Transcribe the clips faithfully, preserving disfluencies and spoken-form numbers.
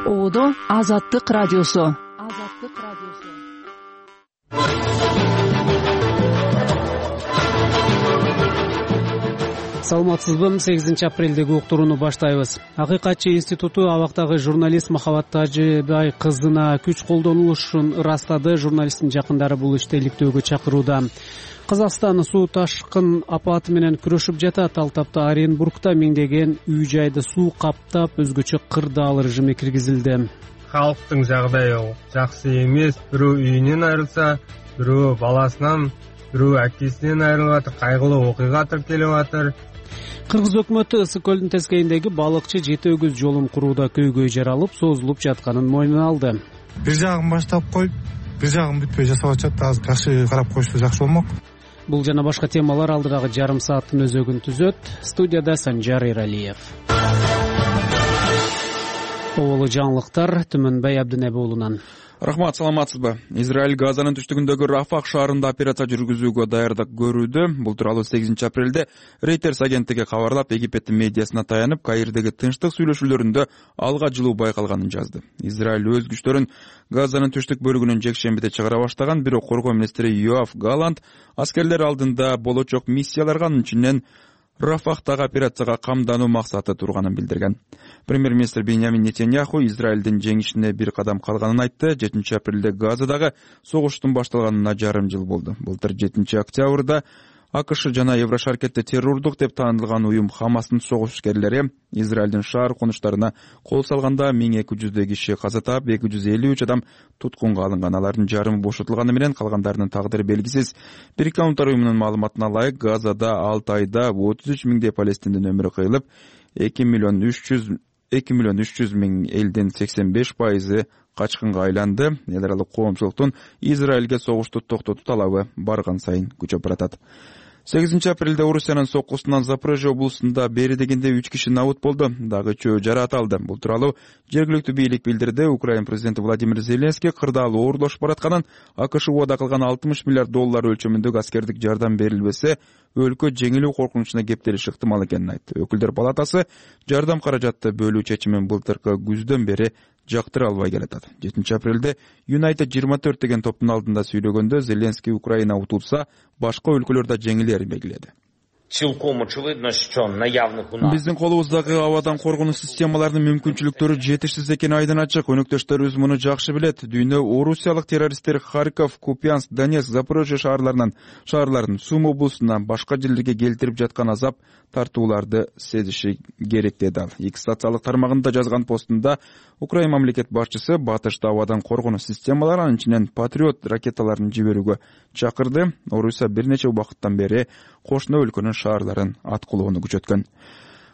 Оодо Азаттык радиосу. Азаттык радиосу. Саламатсызбы? сегизинчи апрелдеги уктурууну баштайбыз. Акыйкатчы институту абактагы журналист Махабат Тажыбай кызына күч колдонулушун ырастады. Журналисттин жакындары бул ишти иликтөөгө чакырууда. Казакстан суу ташкын апаты менен күрөшүп жатат. Ал тапта Оренбургда миңдеген үй жайды суу каптап, өзгөчө кырдаал режиме киргизилди. Халктын жагдайы жакшы эмес. Бирөө үйүнөн айрылса, бирөө баласынан, бирөө акесинен айрылып атыр. Кайгылуу окуйга тиркелип атыр. Кыргыз өкмөтү Ысык көлдүн тескейиндеги балыкчы жети өгүз жолун курууда көйгөй жаралып, созулуп жатканын мойнуна алды. Бир жагын баштап коюп, бир жагын бүтпөй жасап атышат. Азыр жакшы карап коюшса жакшы болмок. Бул жана башка темалар алдыдагы жарым сааттын өзөгүн түзөт. Студияда Санжар Эралиев. Оболу жаңылыктар Түмөнбай Абдынеби уулунан. Рахмат, саламатсызбы? Израиль Газанын түштүгүндөгү Рафах шаарында операция жүргүзүүгө даярдык көрүүдө. Бул тууралуу сегизинчи апрелде Reuters агенттиги кабарлап, Египеттин медиасына таянып, Каирдеги тынчтык сүйлөшүүлөрүндө алга жылуу байкалганын жазды. Израиль өз күчтөрүн Газанын түштүк бөлүгүнөн жекшембиде чыгара баштаган, бирок коргоо министри Йоав Галант аскерлер алдында болочок миссияларга, анын ичинен Рафахтагы операцияга камдануу максаты турганын билдирген. Премьер-министр Беньямин Нетаньяху Израилдин жеңишине бир кадам калганын айтты. жетинчи апрелде Газадагы согуштун башталганына жарым жыл болду. Былтыр жетинчи октябрда АКШ жана Еврошаркетте террордук деп таанылган уюм Хамастын согушкерлери Израилдин шаар конуштарына кол салганда миң эки жүздөй киши каза таап, эки жүз элүү үч адам туткунга алынган. Алардын жарымы бошотулганы менен калгандарынын тагдыры белгисиз. Бириккен Улуттар уюмунун маалыматына ылайык, Газада алты айда отуз үч миңдей палестиндин өмүрү кыйылып, эки миллион үч жүз миң элдин сексен беш пайызы качкынга айланды. Эл аралык коомчулуктун Израилге согушту токтотуу талабы барган сайын күчөп баратат. сегизинчи апрелде Орусиянын соккусунан Запорожье облусунда бери дегенде үч киши набыт болду, дагы үчөө жаракат алды. Бул тууралуу жергиликтүү бийлик билдирди. Украина президенти Владимир Зеленский кырдаал оорлошуп баратканын, АКШ убада кылган алтымыш миллиард доллар өлчөмүндөгү аскердик жардам берилбесе, өлкө жеңилүү коркунучуна кептелиши ыктымал экенин айтты. Өкүлдөр палатасы жардам каражатты бөлүү чечимин былтыркы күздөн бери жактыра албай келатат. жетинчи апрелде United жыйырма төрт деген топтун алдында сүйлөгөндө Зеленский Украина утулса, башка өлкөлөр да жеңилерин белгиледи. Биздин колубуздагы абадан коргонуу системаларынын мүмкүнчүлүктөрү жетишсиз экени айдан ачык. Өнөктөштөрүбүз муну жакшы билет. Дүйнө орусиялык террористтер Харьков, Купянск, Донецк, Запорожье шаарларынан шаарларын Сум облусуна башка жерлерге келтирип жаткан азап тартууларды сезиши керек деди ал. X социалдык тармагында жазган постунда Украина мамлекет башчысы батышта абадан коргонуу системалары, анын ичинен Патриот ракеталарын жиберүүгө чакырды. Орусия бир нече убакыттан бери кошуна өлкөнүн шаарларын аткылоону күчөткөн.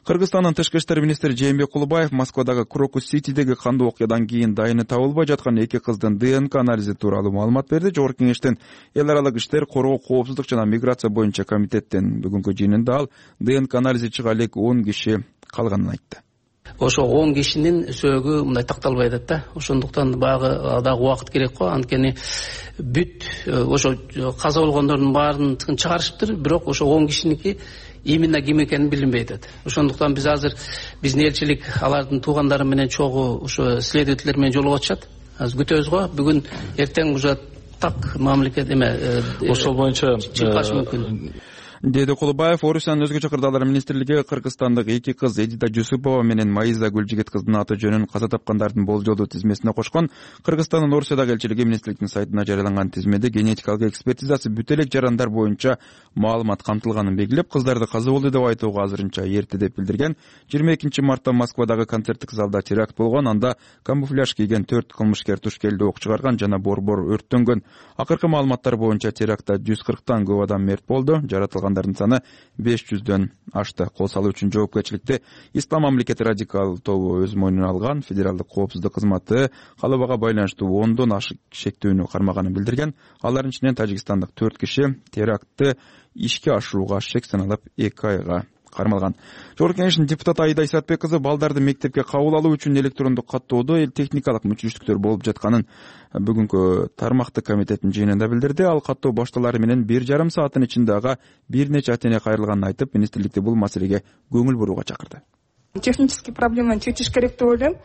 Кыргызстандын тышкы иштер министри Жээнбек Кулубаев Москвадагы Крокус-Ситидеги кандуу окуядан кийин дайыны табылбай жаткан эки кыздын ДНК анализи тууралуу маалымат берди. Жогорку кеңештин эл аралык иштер, коргоо, коопсуздук жана миграция боюнча комитеттин бүгүнкү жыйынында ал ДНК анализи чыга элек он киши калганын айтты. Ошо он кишинин сөөгү мындай такталбай атат да. Ошондуктан багы дагы убакыт керек го. Анткени бүт ошо каза болгондордун баарын чыгарышыптыр, бирок ошо он кишиники именно ким экени билинбей атат. Ошондуктан биз азыр биздин элчилик алардын туугандары менен чогуу ошо следователер менен жолугуп атышат. Азыр күтөбүз го. Бүгүн эртең уже так мамлекет эме ошол боюнча чыкканышы мүмкүн. Деди Кулубаев. Орусиянын өзгөчө кырдаалдар министрлиги Кыргызстандык эки кыз Эдита Жусупова менен Маиза Гүлжигит кыздын аты жөнүн каза тапкандардын болжолдуу тизмесине кошкон. Кыргызстандын Орусиядагы элчилиги министрликтин сайтына жарыяланган тизмеде генетикалык экспертизасы бүт элек жарандар боюнча маалымат камтылганын белгилеп, кыздарды каза болду деп айтууга азырынча эрте деп билдирген. жыйырма экинчи мартта Москвадагы концерттик залда теракт болгон. Анда камуфляж кийген төрт кылмышкер туш келди ок чыгарган жана борбор өрттөнгөн. Акыркы маалыматтар боюнча терактта жүз кырктан көп адам мерт болду. Жаратылгандардын саны беш жүздөн ашты. Кол салуу үчүн жоопкерчиликти Ислам мамлекети радикал тобу өз мойнуна алган. Федералдык коопсуздук кызматы калыбага байланыштуу ондон ашык шектүүнү кармаганын билдирген. Алардын ичинен тажикстандык төрт киши терактты ишке ашырууга шек саналып эки айга кармалган. Жогорку кеңештин депутаты Айда Исатбек кызы балдарды мектепке кабыл алуу үчүн электрондук каттоодо эл техникалык мүчүлүштүктөр болуп жатканын бүгүнкү тармактык комитеттин жыйынында билдирди. Ал каттоо башталары менен бир жарым сааттын ичинде ага бир нече ата эне кайрылганын айтып, министрликти бул маселеге көңүл бурууга чакырды. Технический проблеманы чечиш керек деп ойлойм.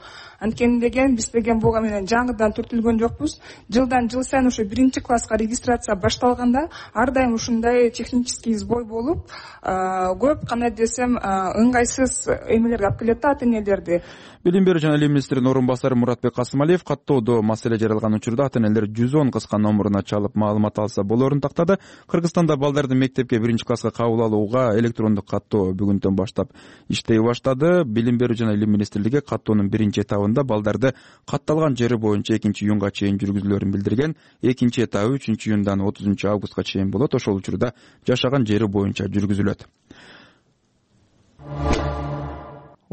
Анткени деген биз деген буга менен жаңыдан түртүлгөн жокпуз. Жылдан жыл сайын ошо биринчи класска регистрация башталганда ар дайым ушундай технический сбой болуп, көп кандай десем ыңгайсыз эмелерге алып келет да ата энелерди. Билим берүү жана илим министринин орун басары Муратбек Касымалиев каттоодо маселе жаралган учурда ата энелер жүз он кыска номуруна чалып маалымат алса болоорун тактады. Кыргызстанда балдарды мектепке биринчи класска кабыл алууга электрондук каттоо бүгүндөн баштап иштей баштады. Билим берүү жана илим министрлиги каттоонун биринчи этабында балдарды катталган жери боюнча экинчи июнга чейин жүргүзүлөрүн билдирген. Экинчи этабы үчүнчү июндан отузунчу августка чейин болот. Ошол учурда жашаган жери боюнча жүргүзүлөт.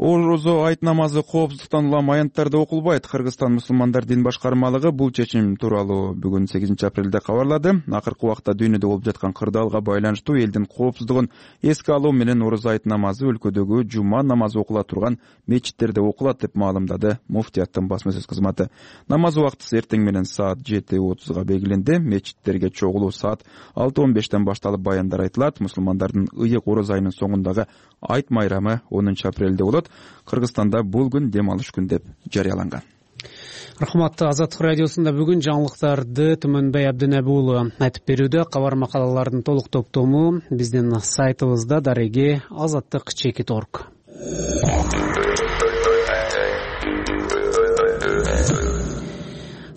Орозо айт намазы коопсуздуктан улам аянттарда окулбайт. Кыргызстан мусулмандар дин башкармалыгы бул чечим тууралуу бүгүн сегизинчи апрелде кабарлады. Акыркы убакта дүйнөдө болуп жаткан кырдаалга байланыштуу элдин коопсуздугун эске алуу менен орозо айт намазы өлкөдөгү жума намазы окула турган мечиттерде окулат деп маалымдады муфтияттын басма сөз кызматы. Намаз убактысы эртең менен саат жети отузга белгиленди. Мечиттерге чогулуу саат алты он бештен башталып баяндар айтылат. Мусулмандардын ыйык орозо айынын соңундагы айт майрамы онунчу апрелде болот. Кыргызстанда бул күн дем алыш күн деп жарыяланган. Рахмат. Азаттык радиосунда бүгүн жаңылыктарды Түмөнбай Абдинеби уулу айтып берүүдө. Кабар макалалардын толук топтому биздин сайтыбызда дареги азаттык чекит точка орг.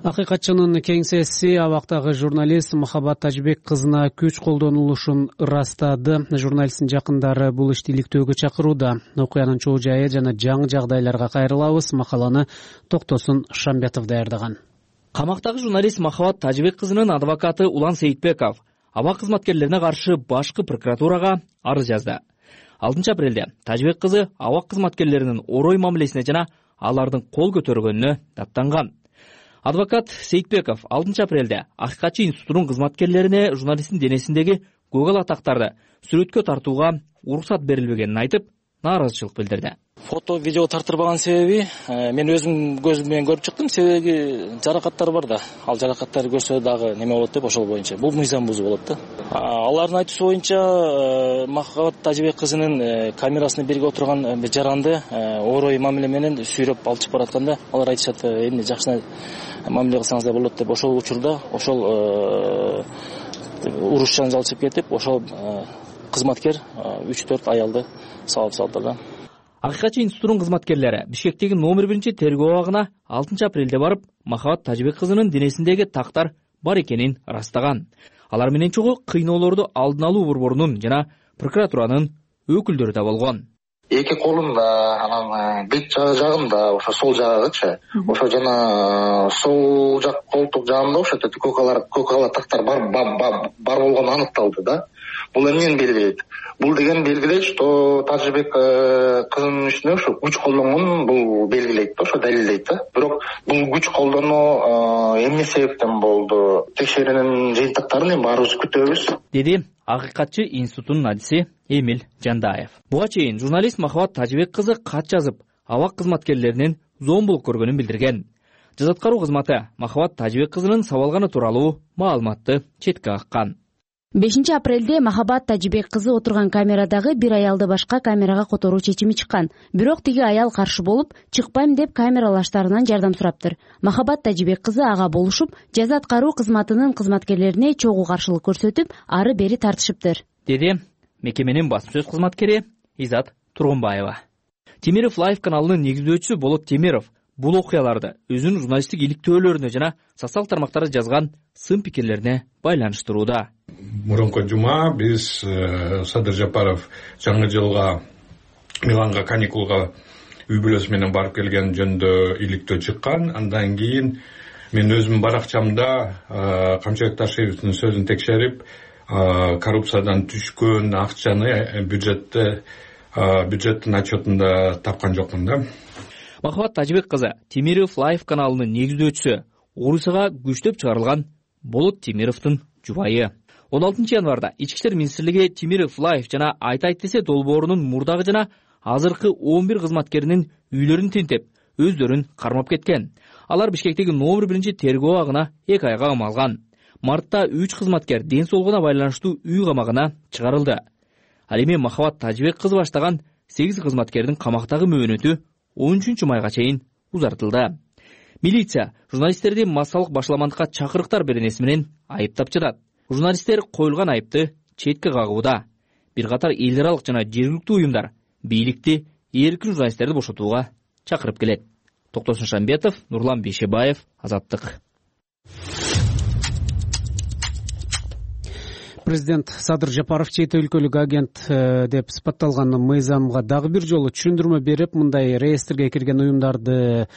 Акыйкатчынын кеңсеси абактагы журналист Махабат Тажибек кызына күч колдонулушун ырастады. Журналисттин жакындары бул ишти иликтөөгө чакырууда. Окуянын чоо жайы жана жаңы жагдайларга кайрылабыз. Макаланы Токтосун Шамбетов даярдаган. Камактагы журналист Махабат Тажибек кызынын адвокаты Улан Сейитбеков аба кызматкерлерине каршы башкы прокуратурага арыз жазды. алтынчы апрелде Тажибек кызы аба кызматкерлеринин орой мамилесине жана алардын кол көтөргөнүнө даттанган. Адвокат Сейитбеков алтынчы апрелде Акыйкатчы институтунун кызматкерлерине журналисттин денесиндеги көгал атактарды сүрөткө тартууга уруксат берилбегенин айтып, нааразычылык билдирди. Фото, видео тартырбаган себеби мен өзүм көзүм менен көрүп чыктым. Себеби жаракаттар бар да. Ал жаракаттарды көрсө дагы неме болот деп ошол боюнча. Бул мыйзам бузуу болот да. Алардын айтуусу боюнча Махабат Тажибек кызынын камерасына бирге отурган жаранды орой мамиле менен сүйрөп алып чыгып баратканда алар айтышат, эмне жакшы мамиле кылсаңыздар болот деп. Ошол учурда ошол уруш жанжал чыгып кетип, ошол кызматкер үч төрт аялды салып салды да. Акыйкатчы институтунун кызматкерлери Бишкектеги номер биринчи тергөө абагына алтынчы апрелде барып, Махабат Тажибек кызынын денесиндеги тактар бар экенин ырастаган. Алар менен чогуу кыйноолорду алдын алуу борборунун жана прокуратуранын өкүлдөрү да болгон. Эки колунда, анан бет жагында, ошо сол жагычы, ошо жана сол жак колтук жагында ошо көкалар, көкала тактар бар бар болгону аныкталды да. Бул эмнени белгилейт? Бул деген белгилейт, что Тажибек кызынын үстүнө ошо күч колдонгонун бул белгилейт да, ошо далилдейт да. Бирок бул күч колдонуу эмне себептен болду? Текшерүүнүн жыйынтыктарын эми баарыбыз күтөбүз, деди Акыйкатчы институтунун адиси Эмил Жандаев. Буга чейин журналист Махабат Тажибек кызы кат жазып, абак кызматкерлеринин зомбулук көргөнүн билдирген. Жазаткаруу кызматы Махабат Тажибек кызынын сабалганы тууралуу маалыматты четке каккан. бешинчи апрелде Махабат Тажибек кызы отурган камерадагы бир аялды башка камерага которуу чечими чыккан. Бирок тиги аял каршы болуп, чыкпайм деп камералаштарынан жардам сураптыр. Махабат Тажибек кызы ага болушуп, жаза аткаруу кызматынын кызматкерлерине чогуу каршылык көрсөтүп, ары бери тартышыптыр, деди мекеменин басма сөз кызматкери Изат Тургунбаева. Темиров Лайв каналынын негиздөөчүсү Болот Темиров бул окуяларды өзүнүн журналисттик иликтөөлөрүнө жана социалдык тармактарда жазган сын пикирлерине байланыштырууда. Мурунку жума биз Садыр Жапаров жаңы жылга Миланга каникулга үй бүлөсү менен барып келген жөнүндө иликтөө чыккан. Андан кийин мен өзүмдүн баракчамда Камчыбек Ташиевдин сөзүн текшерип, коррупциядан түшкөн акчаны бюджетте бюджеттин отчетунда тапкан жокмун да. Махабат Тажибек кызы Темиров Лайв каналынын негиздөөчүсү, Орусияга күчтөп чыгарылган Болот Темировдун жубайы. он алтынчы январда Ички иштер министрлиги Темиров Лайв жана Айт айт десе долбоорунун мурдагы жана азыркы он бир кызматкеринин үйлөрүн тинтеп, өздөрүн кармап кеткен. Алар Бишкектеги номер биринчи тергөө абагына эки айга камалган. Мартта үч кызматкер ден соолугуна байланыштуу үй камагына чыгарылды. Ал эми Махабат Тажибек кызы баштаган сегиз кызматкердин камактагы мөөнөтү он үчүнчү майга чейин узартылды. Милиция журналисттерди массалык башаламандыкка чакырыктар беренеси менен айыптап жатат. Журналисттер коюлган айыпты четке кагууда. Бир катар эл аралык жана жергиликтүү уюмдар бийликти эркин журналисттерди бошотууга чакырып келет. Токтосун Шамбетов, Нурлан Бейшебаев, Азаттык. Президент Садыр Жапаров чет өлкөлүк агент деп сыпатталган мыйзамга дагы бир жолу түшүндүрмө берип, мындай реестрге кирген уюмдарды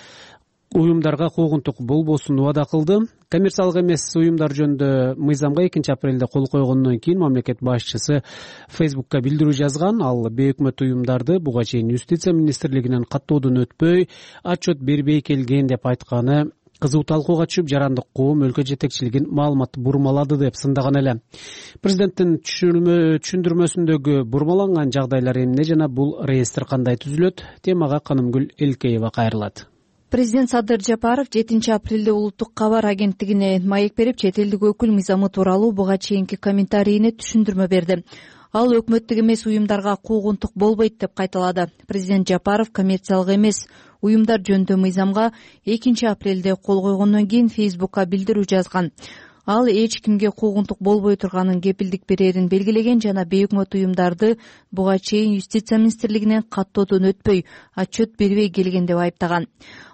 уюмдарга куугунтук болбосун убада кылды. Коммерциялык эмес уюмдар жөнүндө мыйзамга экинчи апрелде кол койгондон кийин мамлекет башчысы Фейсбукка билдирүү жазган. Ал бейөкмөт уюмдарды буга чейин Юстиция министрлигинен каттоодон өтпөй, отчет бербей келген деп айтканы кызуу талкууга түшүп, жарандык коом өлкө жетекчилигин маалыматты бурмалады деп сындаган эле. Президенттин түшүндүрмөсүндөгү бурмаланган жагдайлар эмне жана бул реестр кандай түзүлөт? Темага Канымгүл Элкеева кайрылат. Президент Садыр Жапаров жетинчи апрелде улуттук кабар агенттигине маек берип, чет элдик өкүл мыйзамы тууралуу буга чейинки комментарийине түшүндүрмө берди. Ал өкмөттүк эмес уюмдарга куугунтук болбойт деп кайталады. Президент Жапаров коммерциялык эмес уюмдар жөнүндө мыйзамга экинчи апрелде кол койгондон кийин Фейсбукка билдирүү жазган. Ал эч кимге куугунтук болбой турганын кепилдик берерин белгилеген жана бейөкмөт уюмдарды буга чейин Юстиция министрлигинен каттоодон өтпөй, отчет бербей келген деп айыптаган.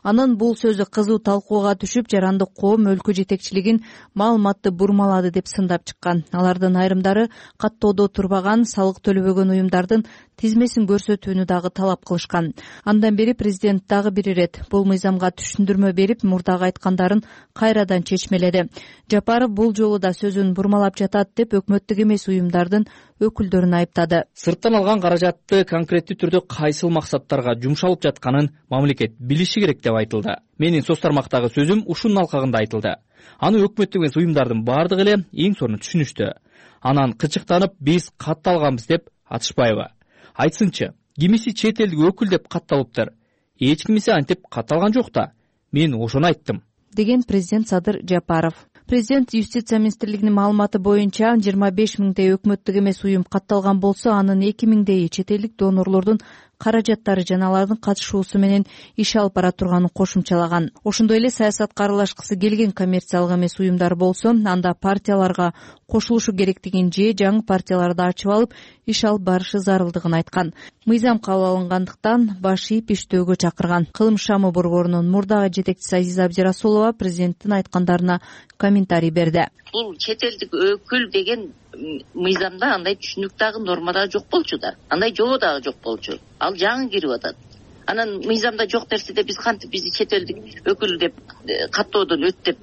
Анын бул сөзү кызуу талкууга түшүп, жарандык коом өлкө жетекчилигин маалыматты бурмалады деп сындап чыккан. Алардын айрымдары каттоодо турбаган, салык төлөбөгөн уюмдардын тизмесин көрсөтүүнү дагы талап кылышкан. Андан бери президент дагы бир ирет бул мыйзамга түшүндүрмө берип, мурдагы айткандарын кайрадан чечмеледи. Жапаров бул жолу да сөзүн бурмалап жатат деп өкмөттүк эмес уюмдардын өкүлдөрүн айыптады. Сырттан алган каражатты конкреттүү түрдө кайсыл максаттарга жумшалып жатканын мамлекет билиши керек деп айтылды. Менин соц тармактагы сөзүм ушунун алкагында айтылды. Аны өкмөттүк эмес уюмдардын бардыгы эле эң сонун түшүнүштү. Анан кычыктанып, биз катталганбыз деп атышпайбы? Айтсынчы, кимиси чет элдик өкүл деп катталыптыр. Эч кимиси антип катталган жок да. Мен ошону айттым, деген президент Садыр Жапаров. Президент Юстиция министрлигинин маалыматы боюнча жыйырма беш миңдей өкмөттүк эмес уюм катталган болсо, анын эки миңдейи чет элдик донорлордун каражаттары жана алардын катышуусу менен иш алып бара турганын кошумчалаган. Ошондой эле саясатка аралашкысы келген коммерциялык эмес уюмдар болсо, анда партияларга кошулушу керектигин же жаңы партияларды ачып алып иш алып барышы зарылдыгын айткан. Мыйзам кабыл алынгандыктан баш ийип иштөөгө чакырган. Кылым шамы борборунун мурдагы жетекчиси Азиза Абдирасулова президенттин айткандарына комментарий берди. Бул чет элдик өкүл деген мыйзамда андай түшүнүк дагы норма дагы жок болчу да. Андай жобо дагы жок болчу. Ал жаңы кирип атат. Анан мыйзамда жок нерседе биз кантип бизди чет элдик өкүл деп каттоодон өт деп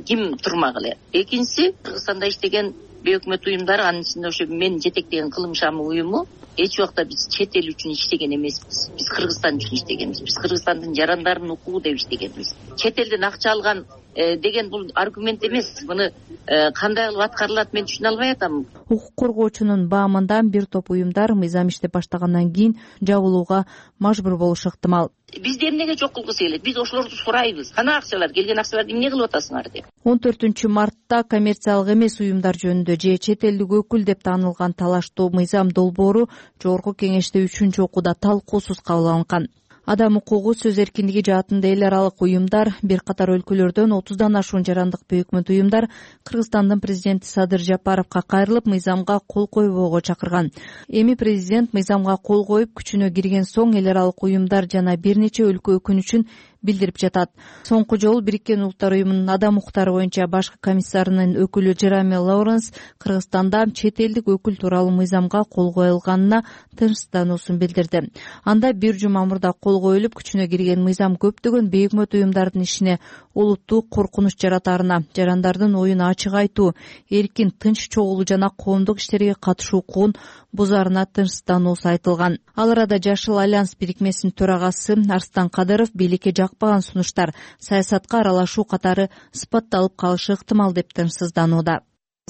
ким турмак эле. Экинчиси, Кыргызстанда иштеген бейөкмөт уюмдар, анын ичинде ошо мен жетектеген Кылым шамы уюму эч убакта биз чет эл үчүн иштеген эмеспиз. Биз Кыргызстан үчүн иштегенбиз. Биз Кыргызстандын жарандарынын укугу деп иштегенбиз. Чет элден акча алган деген бул аргумент эмес. Муну кандай кылып аткарылат мен түшүнө албай атам. Укук коргоочунун баамында бир топ уюмдар мыйзам иштеп баштагандан кийин жабылууга мажбур болушу ыктымал. Бизди эмнеге жок кылгысы келет? Биз ошолорду сурайбыз. Кана акчалар, келген акчаларды эмне кылып атасыңар деп. он төртүнчү мартта коммерциялык эмес уюмдар жөнүндө же чет элдик өкүл деп таанылган талаштуу мыйзам долбоору жогорку кеңеште үчүнчү окууда талкуусуз кабыл алынган. Адам укугу, сөз эркиндиги жаатында эл аралык уюмдар, бир катар өлкөлөрдөн отуздан ашуун жарандык бейөкмөт уюмдар Кыргызстандын президенти Садыр Жапаровго кайрылып, мыйзамга кол койбоого чакырган. Эми президент мыйзамга кол коюп, күчүнө кирген соң эл аралык уюмдар жана бир нече өлкө өкүнүчүн билдирип жатат. Соңку жолу Бириккен Улуттар уюмунун адам укуктары боюнча башкы комиссарынын өкүлү Джереми Лоуренс Кыргызстанда чет элдик өкүл тууралуу мыйзамга кол коюлганына тынчсыздануусун билдирди. Анда бир жума мурда кол коюлуп, күчүнө кирген мыйзам көптөгөн бейөкмөт уюмдардын ишине олуттуу коркунуч жаратаарына, жарандардын оюн ачык айтуу, эркин тынч чогулуу жана коомдук иштерге катышуу укугун бузаарына тынчсыздануусу айтылган. Ал арада Жашыл альянс бирикмесинин төрагасы Арстан Кадыров бийликке жакпаган сунуштар саясатка аралашуу катары сыпатталып калышы ыктымал деп тынчсызданууда.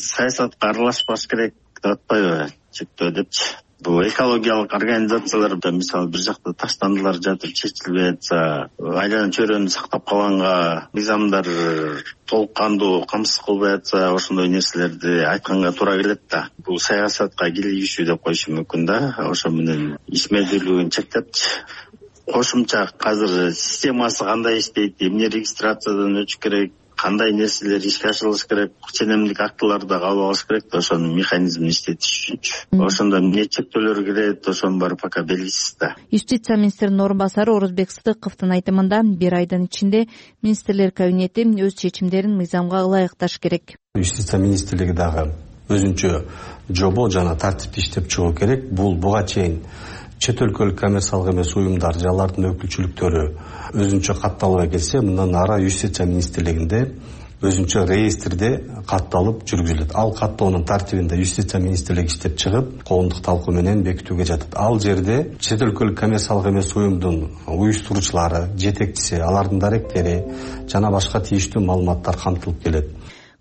Саясатка аралашпаш керек деп атпайбы, чектөө депчи. Бул экологиялык организациялар мисалы бир жакта таштандылар жатып чечилбей атса, айлана чөйрөнү сактап калганга мыйзамдар толук кандуу камсыз кылбай атса, ошондой нерселерди айтканга туура келет да. Бул саясатка кийлигишүү деп коюшу мүмкүн да. Ошо менен ишмердүүлүгүн чектепчи. Кошумча казыр системасы кандай иштейт, эмне регистрациядан өтүш керек, кандай нерселер ишке ашырылыш керек, ченемдик актыларды кабыл алыш керек да, ошонун механизмин иштетиш үчүнчү. Ошондо эмне чектөөлөр кирет, ошонун баары пока белгисиз да. Юстиция министринин орун басары Орозбек Сыдыковдун айтымында бир айдын ичинде министрлер кабинети өз чечимдерин мыйзамга ылайыкташ керек. Юстиция министрлиги дагы өзүнчө жобо жана тартипти иштеп чыгуу керек. Бул буга чейин чет өлкөлүк коммерциялык эмес уюмдар же алардын өкүлчүлүктөрү өзүнчө катталбай келсе, мындан ары Юстиция министрлигинде өзүнчө реестрде катталып жүргүзүлөт. Ал каттоонун тартибинде Юстиция министрлиги иштеп чыгып, коомдук талкуу менен бекитүүгө жатат. Ал жерде чет өлкөлүк коммерциялык эмес уюмдун уюштуруучулары, жетекчиси, алардын даректери жана башка тийиштүү маалыматтар камтылып келет.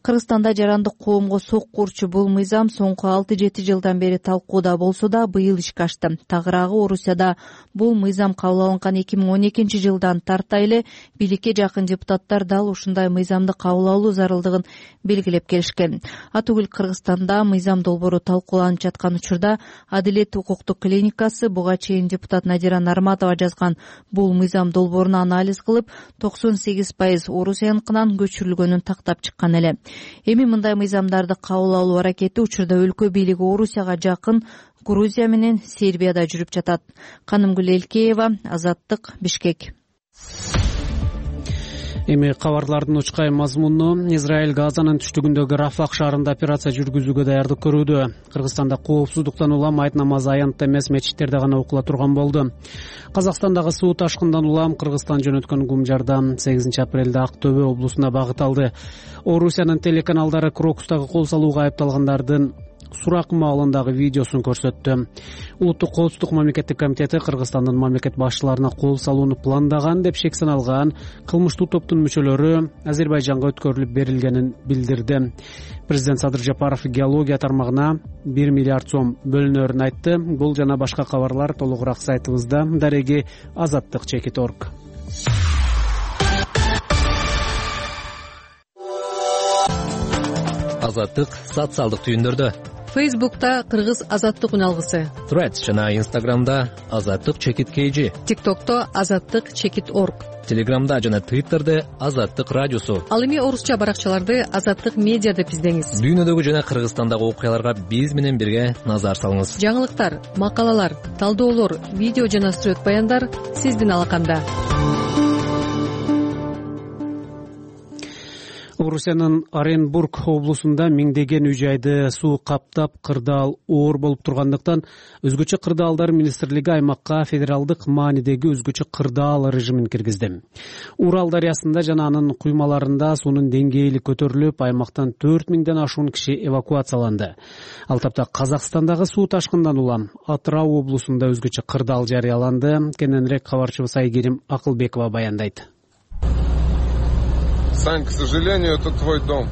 Кыргызстанда жарандык коомго сок курчу бул мыйзам соңку алты жети жылдан бери талкууда болсо да быйыл ишке ашты. Тагыраагы Орусияда бул мыйзам кабыл алынган эки миң он экинчи жылдан тарта эле бийликке жакын депутаттар дал ушундай мыйзамды кабыл алуу зарылдыгын белгилеп келишкен. Атүгүл Кыргызстанда мыйзам долбоору талкууланып жаткан учурда Адилет укуктук клиникасы буга чейин депутат Надира Нарматова жазган бул мыйзам долбоорун анализ кылып, токсон сегиз пайыз Орусияныкынан көчүрүлгөнүн тактап чыккан эле. Эми мындай мыйзамдарды кабыл алуу аракети учурда өлкө бийлиги Орусияга жакын Грузия менен Сербияда жүрүп жатат. Канымгүл Элкеева, Азаттык, Бишкек. Эми кабарлардын учкай мазмуну. Израиль Газанын түштүгүндөгү Рафах шаарында операция жүргүзүүгө даярдык көрүүдө. Кыргызстанда коопсуздуктан улам айт намазы аянтта эмес мечиттерде гана окула турган болду. Казакстандагы суу ташкындан улам Кыргызстан жөнөткөн ГУМ жардам сегизинчи апрелде Ак Төбө облусуна багыт алды. Орусиянын телеканалдары Крокустагы кол салууга айыпталгандардын сурак маалындагы видеосун көрсөттү. Улуттук коопсуздук мамлекеттик комитети Кыргызстандын мамлекет башчыларына кол салууну пландаган деп шек саналган кылмыштуу топтун мүчөлөрү Азербайжанга өткөрүлүп берилгенин билдирди. Президент Садыр Жапаров геология тармагына бир миллиард сом бөлүнөрүн айтты. Бул жана башка кабарлар толугураак сайтыбызда. Дареги азаттык чекит точка орг. Азаттык социалдык түйүндөрдө. Фейсбукта Кыргыз азаттык үналгысы. Threads жана Инстаграмда азаттык чекит kg. ТикТокто азаттык чекит точка орг. Телеграмда жана Твиттерде азаттык радиосу. Ал эми орусча баракчаларды азаттык медиа деп издеңиз. Дүйнөдөгү жана Кыргызстандагы окуяларга биз менен бирге назар салыңыз. Жаңылыктар, макалалар, талдоолор, видео жана сүрөт баяндар сиздин алаканда. Орусиянын Оренбург облусунда миңдеген үй жайды суу каптап, кырдаал оор болуп тургандыктан өзгөчө кырдаалдар министрлиги аймакка федералдык маанидеги өзгөчө кырдаал режимин киргизди. Урал дарыясында жана анын куймаларында суунун деңгээли көтөрүлүп, аймактан төрт миңден ашуун киши эвакуацияланды. Ал тапта Казакстандагы суу ташкындан улам Атырау облусунда өзгөчө кырдаал жарыяланды. Кененирээк кабарчыбыз Айгерим Акылбекова баяндайт. Сань, к сожалению, это твой дом.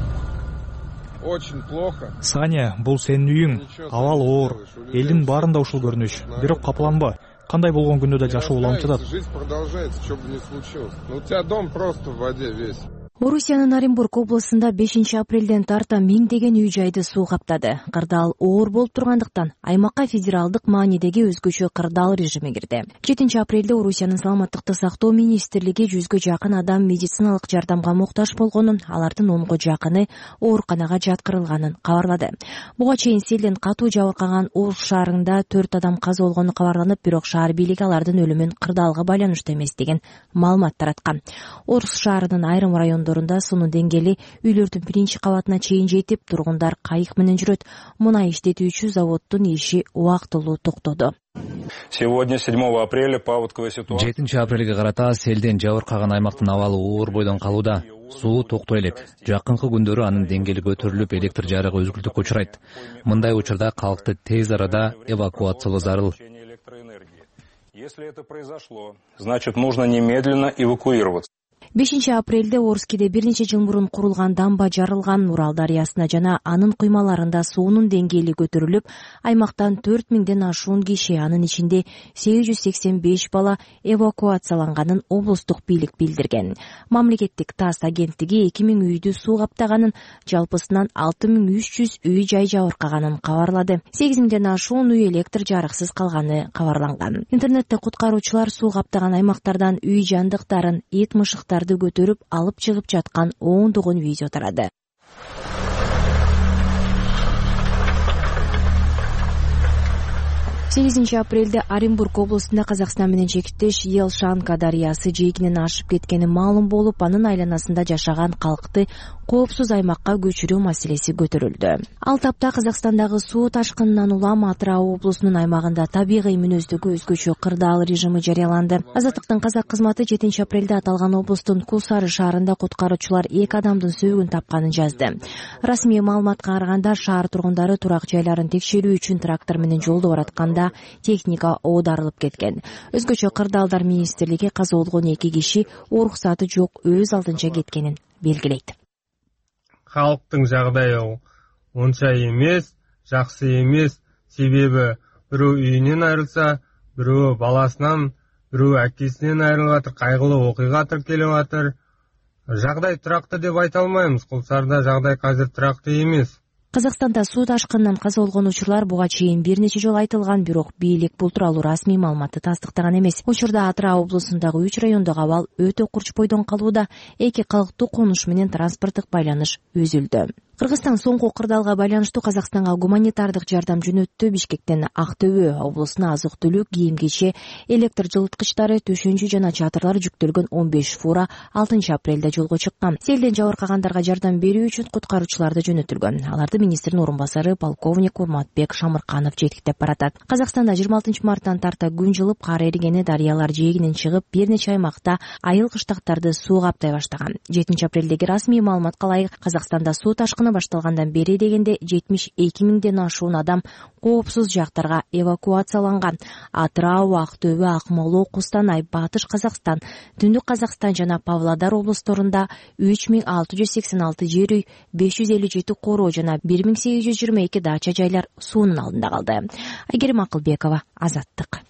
Очень плохо. Саня, бул сенин үйүң. Абал оор. Элдин баарында ушул көрүнүш. Бирок капыланба. Кандай болгон күндө да жашоо уламчы жатат. Жизнь продолжается, что бы ни случилось. Но у тебя дом просто в воде весь. Орусиянын Оренбург облусунда бешинчи апрелден тарта миңдеген үй жайды суу каптады. Кырдаал оор болуп тургандыктан аймакка федералдык маанидеги өзгөчө кырдаал режими кирди. жетинчи апрелде Орусиянын саламаттыкты сактоо министрлиги жүзгө жакын адам медициналык жардамга муктаж болгонун, алардын онго жакыны ооруканага жаткырылганын кабарлады. Буга чейин селден катуу жабыркаган Орус шаарында төрт адам каза болгону кабарланып, бирок шаар бийлиги алардын өлүмүн кырдаалга байланыштуу эмес деген маалымат тараткан. Орус шаарынын айрым райондорунда суунун деңгээли үйлөрдүн биринчи кабатына чейин жетип, тургундар кайык менен жүрөт. Мунай иштетүүчү заводдун иши убактылуу токтоду. Сегодня седьмого апреля паводковая ситуация. жетинчи апрелге карата селден жабыркаган аймактын абалы оор бойдон калууда. Суу токтой элек. Жакынкы күндөрү анын деңгээли көтөрүлүп, электр жарыгы үзгүлтүккө учурайт. Мындай учурда калкты тез арада эвакуациялоо зарыл. Если это произошло, значит, нужно немедленно эвакуироваться. бешинчи апрелде Орскиде бир нече жыл мурун курулган дамба жарылган. Урал дарыясына жана анын куймаларында суунун деңгээли көтөрүлүп, аймактан төрт миңден ашуун киши, анын ичинде сегиз жүз сексен беш бала эвакуацияланганын облустук бийлик билдирген. Мамлекеттик ТАСС агенттиги эки миң үйдү суу каптаганын, жалпысынан алты миң үч жүз үй жай жабыркаганын кабарлады. сегиз миңден ашуун үй электр жарыксыз калганы кабарланган. Интернетте куткаруучулар суу каптаган аймактардан үй жандыктарын, эт мышыктарды көтөрүп алып чыгып жаткан оондогон видео тарады. сегизинчи апрелде Оренбург облусунда Казакстан менен чектеш Елшанка дарыясы жээкинен ашып кеткени маалым болуп, анын айланасында жашаган калкты коопсуз аймакка көчүрүү маселеси көтөрүлдү. Ал тапта Казакстандагы суу ташкынынан улам Атырау облусунун аймагында табигый мүнөздөгү өзгөчө кырдаал режими жарыяланды. Азаттыктын казак кызматы жетинчи апрелде аталган облустун Кулсары шаарында куткаруучулар эки адамдын сөөгүн тапканын жазды. Расмий маалыматка караганда, шаар тургундары турак жайларын текшерүү үчүн трактор менен жолдо баратканда техника оодарылып кеткен. Өзгөчө кырдаалдар министрлиги каза болгон эки киши уруксаты жок өз алдынча кеткенин белгилейт. Халктын жагдайы онча эмес, жакшы эмес. Себеби бирөө үйүнөн айрылса, бирөө баласынан, бирөө акесинен айрылып атыр, кайгылуу окуйга тиркелип атыр. Жагдай турактуу деп айта алмайбыз. Кулсарда жагдай азыр турактуу эмес. Казакстанда суу ташкынынан каза болгон учурлар буга чейин бир нече жолу айтылган, бирок бийлик бул тууралуу расмий маалыматты тастыктаган эмес. Учурда Атырау облусундагы үч райондогу абал өтө курч бойдон калууда, эки калктуу конуш менен транспорттук байланыш үзүлдү. Кыргызстан соңку кырдаалга байланыштуу Казакстанга гуманитардык жардам жөнөттү. Бишкектен Актөбө облусуна азык-түлүк, кийим-кече, электр жылыткычтары, төшөнчү жана чатырлар жүктөлгөн он беш фура алтынчы апрелде жолго чыккан. Селден жабыркагандарга жардам берүү үчүн куткаруучуларды жөнөтүлгөн. Аларды министрдин орун басары полковник Урматбек Шамырканов жетиктеп баратат. Казакстанда жыйырма алтынчы марттан тарта күн жылып, кар эригени, дарыялар жээгинен чыгып, бир нече аймакта айыл кыштактарды суу каптай баштаган. жетинчи апрелдеги расмий маалыматка ылайык, Казакстанда суу ташкыны башталгандан бери дегенде жетимиш эки миңден ашуун адам коопсуз жактарга эвакуацияланган. Атырау, Актөбө, Акмола, Кустанай, Батыш Казакстан, Түндүк Казакстан жана Павлодар облусторунда үч миң алты жүз сексен алты жер үй, беш жүз элүү жети короо жана бир миң сегиз жүз жыйырма эки дача жайлар суунун алдында калды. Айгерим Акылбекова, Азаттык.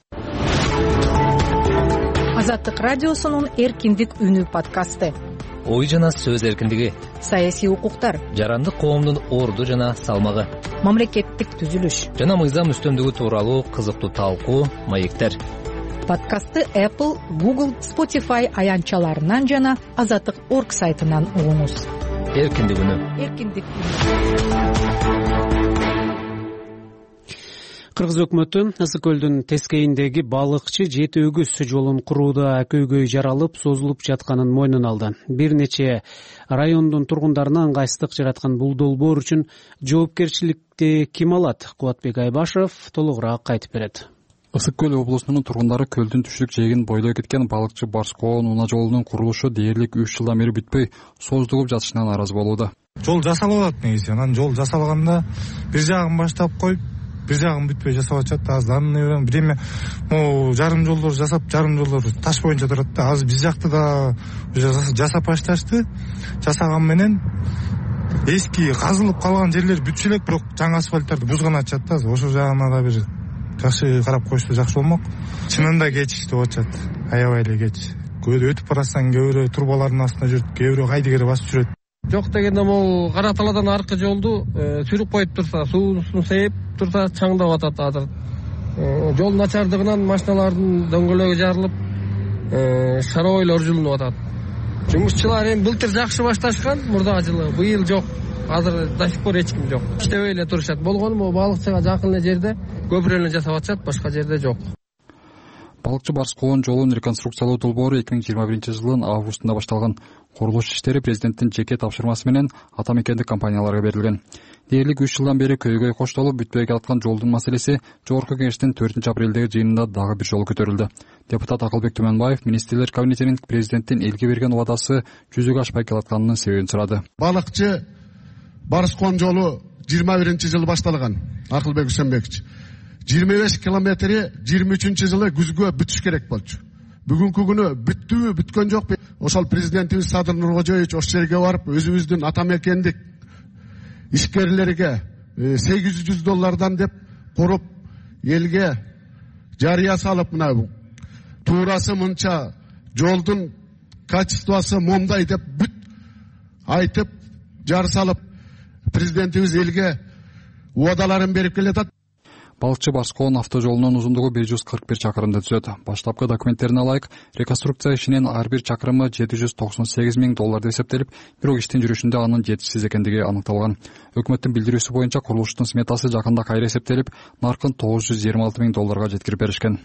Азаттык радиосунун эркиндик үнү подкасты. Ой жана сөз эркиндиги, саясий укуктар, жарандык коомдун орду жана салмагы, мамлекеттик түзүлүш жана мыйзам үстөмдүгү тууралуу кызыктуу талкуу, маектер. Подкастты Apple, Google, Spotify аянтчаларынан жана азаттык точка орг сайтынан угуңуз. Эркиндик үнү. Эркиндик үнү. Кыргыз өкмөтү Ысык көлдүн тескейиндеги балыкчы жети өгүз жолун курууда көйгөй жаралып, созулуп жатканын мойнуна алды. Бир нече райондун тургундарына ыңгайсыздык жараткан бул долбоор үчүн жоопкерчиликти ким алат? Кубатбек Айбашев толугураак айтып берет. Ысык көл облусунун тургундары көлдүн түштүк жээгин бойлой кеткен балыкчы Барскоон унаа жолунун курулушу дээрлик үч жылдан бери бүтпөй создугуп жатышынан нааразы болууда. Жол жасалып атат негизи. Анан жол жасалганда бир жагын баштап коюп, бир жагын бүтпөй жасап атышат. Азыр анын бирме могу жарым жолдор жасап, жарым жолдор таш боюнча турат да. Азыр биз жакты да жасап башташты. Жасаган менен эски казылып калган жерлер бүтүшө элек, бирок жаңы асфальттарды бузган атышат да. Ошол жагына да бир жакшы карап коюшса жакшы болмок. Чынында кеч деп атышат. Аябай эле кеч. Көйдө өтүп барасаң, кээ бирөө турбалардын астында жүрүп, кээ бирөө кайдыгер басып жүрөт. Жок дегенде могу Кара Талаадан аркы жолду сүрүп коюп турса, суусун сейип турса чаңдап атат азыр. Жол начардыгынан машиналардын дөңгөлөгү жарылып, шаройлор жылынып атат. Жумушчулар эми былтыр жакшы башташкан, мурдагы жылы, быйыл жок. Азыр до сих пор эч ким жок. Иштебей эле турушат. Болгону могу балыкчыга жакын эле жерде көпүрө эле жасап атышат, башка жерде жок. Балыкчы Барскоон жолун реконструкциялоо долбоору эки миң жыйырма биринчи жылдын августунда башталган. Курулуш иштери президенттин жеке тапшырмасы менен ата мекендик компанияларга берилген. Дээрлик үч жылдан бери көйгөй коштолуп бүтпөй жаткан жолдун маселеси Жогорку Кеңештин төртүнчү апрелдеги жыйынында дагы бир жолу көтөрүлдү. Депутат Акылбек Түмөнбаев министрлер кабинетинин президенттин элге берген убадасы жүзүгө ашпай келатканынын себебин сурады. Балыкчы Барскоон жолу жыйырма биринчи жылы башталган. Акылбек Үсөнбекович жыйырма беш километри жыйырма үчүнчү жылы күзгө бүтүш керек болчу. Бүгүнкү күнү бүттүбү, бүткөн жокпу? ошол президентибиз Садыр Нуркожоевич ошол жерге барып өзүбүздүн ата мекендик ишкерлерге сегиз жүз доллардан деп куруп элге жарыя салып, мына туурасы мынча, жолдун качествосу момдай деп бүт айтып жар салып президентибиз элге убадаларын берип келатат. Балыкчы Барскоон автожолунун узундугу бир жүз кырк бир чакырымды түзөт. Баштапкы документтерине ылайык, реконструкция ишинен ар бир чакырымы жети жүз токсон сегиз миң долларда эсептелип, бирок иштин жүрүшүндө анын жетишсиз экендиги аныкталган. Өкмөттүн билдирүүсү боюнча курулуштун сметасы жакында кайра эсептелип, наркын тогуз жүз жыйырма алты миң долларга жеткирип беришкен.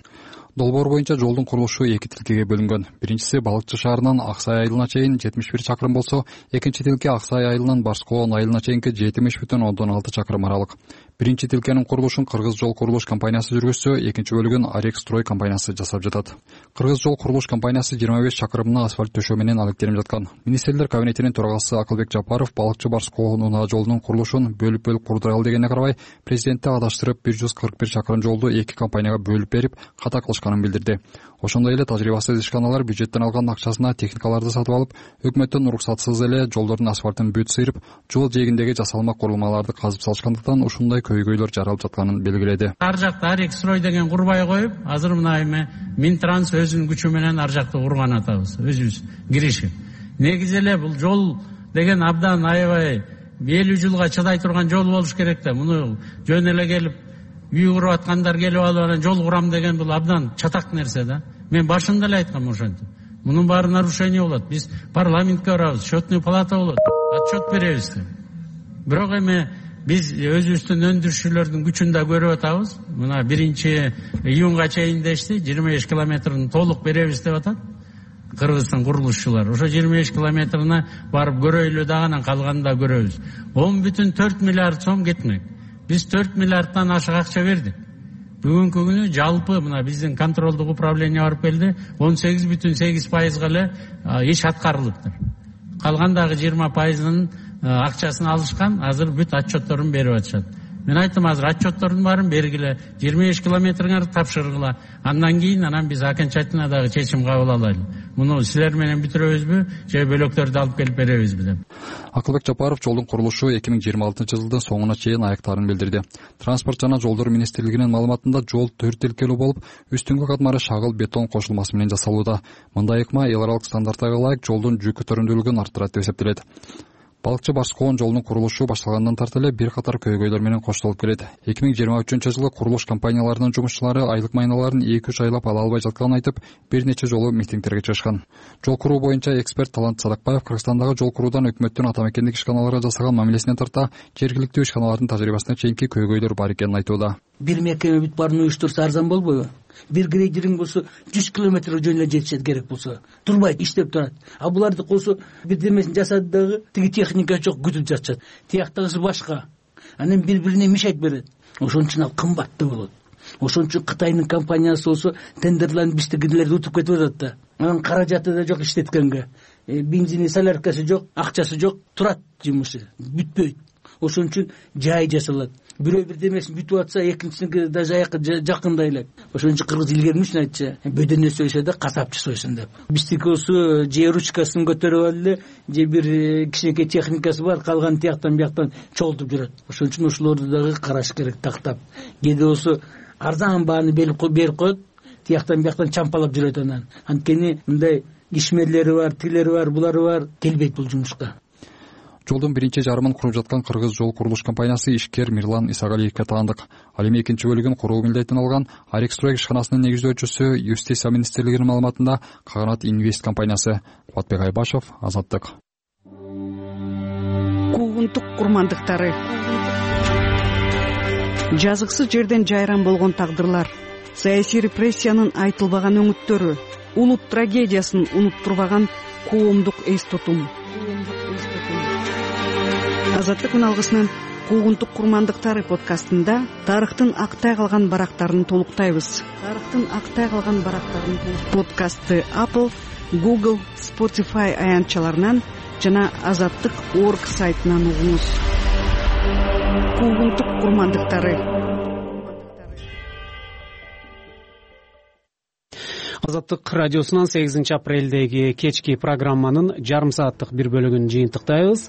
Долбоор боюнча жолдун курулушу эки тилкеге бөлүнгөн. Биринчиси Балыкчы шаарынан Аксай айылына чейин жетимиш бир чакырым болсо, экинчи тилке Аксай айылынан Барскоон айылына чейинки жетимиш бүтүн ондон алты чакырым аралык. Биринчи тилкенин курулушун Кыргыз жол курулуш компаниясы жүргүзсө, экинчи бөлүгүн Арек строй компаниясы жасап жатат. Кыргыз жол курулуш компаниясы жыйырма беш чакырымына асфальт төшөө менен алектенип жаткан. Министрлер кабинетинин төрагасы Акылбек Жапаров Балыкчы Барскоон унаа жолунун курулушун бөлүп-бөлүп курдуралы дегенине карабай, президентти адаштырып бир жүз кырк бир чакырым жолду эки компанияга бөлүп берип, ката кылышканын билдирди. Ошондой эле тажрыйбасыз ишканалар бюджеттен алган акчасына техникаларды сатып алып, өкмөттүн уруксатсыз эле жолдордун асфальтын бүт сыйрып, жол жээгиндеги жасалма курулмаларды казып салышкандыктан ушундай көйгөйлөр жаралып жатканын белгиледи. Ар жакта Арек строй деген курбай коюп, азыр мына эме Минтранс өзүнүн күчү менен ар жакты курган атабыз, өзүбүз киришип. Негизи эле бул жол деген абдан аябай элүү жылга чыдай турган жол болуш керек да. Муну жөн эле келип үй куруп аткандар келип алып анан жол курам деген бул абдан чатак нерсе да. Мен башында эле айткам ошентип. Мунун баары нарушение болот. Биз парламентке барабыз, счетный палата болот, отчет беребиз деп. Бирок эми биз өзүбүздүн өндүрүшчүлөрдүн күчүн да көрүп атабыз. Мына биринчи июнга чейин дешти, жыйырма беш километрин толук беребиз деп атат кыргыздын курулушчулары. Ошо жыйырма беш километрине барып көрөйлү дагы, анан калганын да көрөбүз. он бүтүн төрт миллиард сом кетмек. Биз төрт миллиардтан ашык акча бердик. Бүгүнкү күнү жалпы мына биздин контролдук управление барып келди, он сегиз бүтүн сегиз пайызга эле иш аткарылыптыр. Калган дагы жыйырма пайызынын акчасын алышкан, азыр бүт отчетторун берип атышат. Мен айттым, азыр отчеттордун баарын бергиле, жыйырма беш километриңерди тапшыргыла. Андан кийин анан биз окончательно дагы чечим кабыл алайлы. Муну силер менен бүтүрөбүзбү, же бөлөктөрдү алып келип беребизби деп. Акылбек Жапаров жолдун курулушу эки миң жыйырма алтынчы жылдын соңуна чейин аяктарын билдирди. Транспорт жана жолдор министрлигинин маалыматында жол төрт тилкелүү болуп, үстүңкү катмары шагыл бетон кошулмасы менен жасалууда. Мындай ыкма эл аралык стандарттарга ылайык жолдун жүк көтөрүмдүүлүгүн арттырат деп эсептелет. Балыкчы Барскоон жолунун курулушу башталгандан тарты эле бир катар көйгөйлөр менен коштолуп келет. эки миң жыйырма үчүнчү жылы курулуш компанияларынын жумушчулары айлык майналарын эки үч айлап ала албай жатканын айтып, бир нече жолу митингтерге чыгышкан. Жол куруу боюнча эксперт Талант Садыкбаев Кыргызстандагы жол куруудан өкмөттүн ата мекендик ишканаларга жасаган мамилесинен тарта жергиликтүү ишканалардын тажрыйбасына чейинки көйгөйлөр бар экенин айтууда. Бир мекеме бүт баарын уюштурса арзан болбойбу? Бир грейдеринг болсо жүз километр жөн эле жетишет керек болсо. Турбайт, иштеп турат. А буларды болсо бирдемесин жасады дагы тиги техника жок, күтүп жатышат. Тияктагысы башка. Анан бири-бирине мешайт берет. Ошон үчүн ал кымбаттуу болот. Ошон үчүн Кытайдын компаниясы болсо тендерларын биздикилерди утуп кетип атат да. Анан каражаты да жок иштеткенге. Бензини, соляркасы жок, акчасы жок, турат жумушу, бүтпөйт. Ошон үчүн жай жасалат. Бирөө бирдемесин бүтүп атса, экинчисинки даже аякка жакындай элек. Ошон үчүн кыргыз илгери үчүн айтчы, бөдөнө сойсо да касапчы сойсун деп. Биздики болсо же ручкасын көтөрүп алды эле, же бир кичинекей техникасы бар, калган тияктан бияктан чолтуп жүрөт. Ошон үчүн ошолорду дагы караш керек, тактап. Кээде болсо арзан бааны берип коет, тияктан бияктан чампалап жүрөт анан. Анткени мындай ишмерлери бар, тилери бар, булары бар, келбейт бул жумушка. Жолдун биринчи жарымын куруп жаткан Кыргыз жол курулуш компаниясы ишкер Мирлан Исагалиевге таандык. Ал эми экинчи бөлүгүн куруу милдетин алган Арек строй ишканасынын негиздөөчүсү Юстиция министрлигинин маалыматында Каганат Инвест компаниясы. Кубатбек Айбашев, Азаттык. Куугунтук курмандыктары. Жазыксыз жерден жайран болгон тагдырлар, саясий репрессиянын айтылбаган өңүттөрү, улут трагедиясын унуттурбаган коомдук эс тутум. Азаттык алгысынын Куугунтук курмандыктары подкастында тарыхтын актай калган барактарын толуктайбыз. Тарыхтын актай калган барактарын подкастты Apple, Google, Spotify аянтчаларынан жана азаттык точка орг сайтынан угуңуз. Куугунтук курмандыктары. Азаттык радиосунан сегизинчи апрелдеги кечки программанын жарым сааттык бир бөлүгүн жыйынтыктайбыз.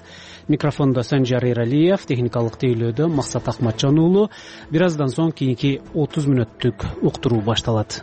Микрофондо Санжар Эралиев, техникалык тейлөөдө Максат Акматжан уулу. Бир аздан соң кийинки отуз мүнөттүк уктуруу башталат.